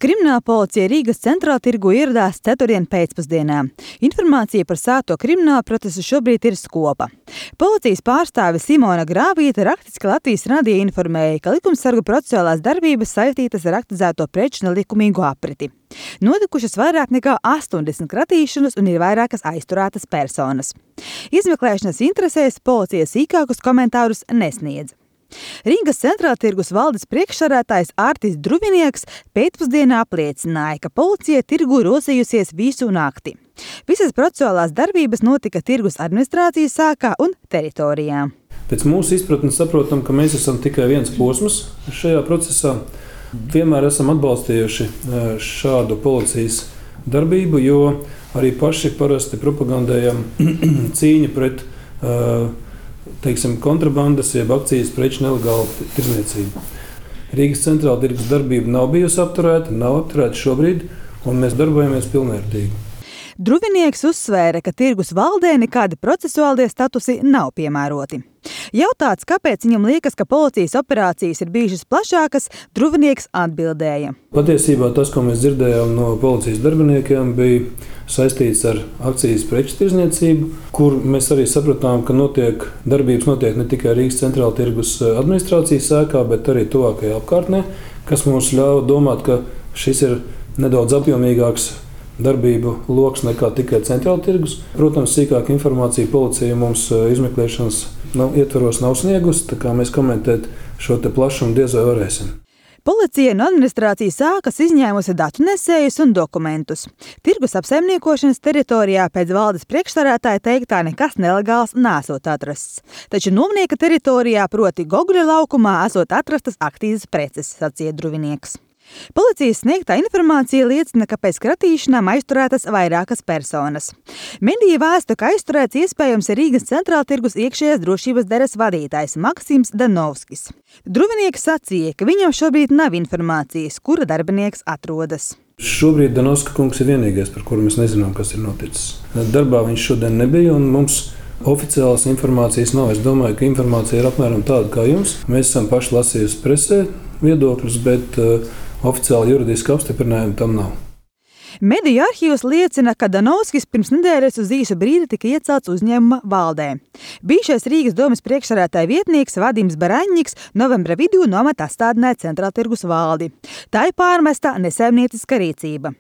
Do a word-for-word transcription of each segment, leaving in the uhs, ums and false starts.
Krimināla policija Rīgas centrāla tirgu ieradās ceturtdien pēcpusdienā. Informācija par sākto kriminālu procesu šobrīd ir skopa. Policijas pārstāve Simona Grāvīte rakstiski Latvijas radio informēja, ka likumsargu procesuālās darbības saistītas ar aktivizēto preču nelikumīgu apriti. Notikušas vairāk nekā astoņdesmit kratīšanas un ir vairākas aizturētas personas. Izmeklēšanas interesēs policija sīkākus komentārus nesniedz. Rīgas centrāla tirgus valdes priekšsēdētājs Ārtis Druvinieks pēcpusdienā apliecināja, ka policija tirgu rosījusies visu nakti. Visas procesuālās darbības notika tirgus administrācijas sākā un teritorijā. Pēc mūsu izpratnes saprotam, ka mēs esam tikai viens posms šajā procesā. Vienmēr esam atbalstījuši šādu policijas darbību, jo arī paši parasti propagandējam cīņu pret uh, teiksim, kontrabandas, jeb akcijas preču nelegālu tirdzniecību. Rīgas centrāla tirgus darbība nav bijusi apturēta, nav apturēta šobrīd, un mēs darbojamies pilnvērtīgi. Druvinieks uzsvēra, ka tirgus valdē nekādi procesuālie statusi nav piemēroti. Jautāts, kāpēc viņam liekas, ka policijas operācijas ir bijušas plašākas, Druvinieks atbildēja. Patiesībā tas, ko mēs dzirdējām no policijas darbiniekiem, bija saistīts ar akcijas preču tirdzniecību, kur mēs arī sapratām, ka notiek, darbības notiek ne tikai Rīgas centrāla tirgus administrācijas sēkā, bet arī tuvākajā apkārtnē, kas mums ļauj domāt, ka šis ir nedaudz apjomīgāks darbību loks nekā tikai centrāla tirgus. Protams, sīkāka informācija policija mums izmeklēšanas nav, ietvaros nav sniegusi, tā kā mēs komentēt šo te plašumu diez vai varēsim. Policija no administrācijas sākas izņēmusi datu nesējus un dokumentus. Tirgus apsaimniekošanas teritorijā pēc valdes priekšsēdētāja teiktā nekas nelegāls nesot atrasts. Taču Nomnieka teritorijā, proti Goguļa laukumā, esot atrastas aktīvas preces, sacīja Druvinieks. Policijas sniegtā informācija liecina, ka pēc kratīšanām aizturētas vairākas personas. Medija vēsta, ka aizturēts iespējams ir Rīgas centrāla tirgus iekšējās drošības daļas vadītājs Maksims Danovskis. Druvinieks sacīja, ka viņam šobrīd nav informācijas, kura darbinieks atrodas. Šobrīd Danovska kungs ir vienīgais, par kuru mēs nezinām, kas ir noticis. Darbā viņš šodien nebija un mums oficiālas informācijas nav. Es domāju, ka informācija ir apmēram tāda kā jums. Mēs esam paši lasījusi presē viedokļus, bet uh, oficiāli juridiski apstiprinājumu tam nav. Mediju arhīvs liecina, ka Danovskis pirms nedēļas uz īsu brīdi tika iecelts uzņēmuma valdē. Bijušais Rīgas domes priekšsēdētāja vietnieks Vadims Baraņņiks novembra vidū no amata atstādināja centrāla tirgus valdi. Tā ir pārmesta nesaimnieciska rīcība.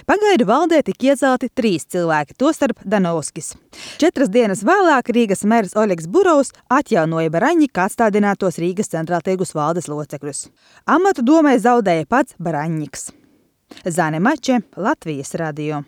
Pagaidu valdē tika iecelti trīs cilvēki, tostarp Danovskis. Četras dienas vēlāk Rīgas mērs Oļegs Burovs atjaunoja Baraņņika atstādinātos Rīgas centrāla tirgus valdes locekļus. Amatu domē zaudēja pats Baraņņiks. Zane Mače, Latvijas radio.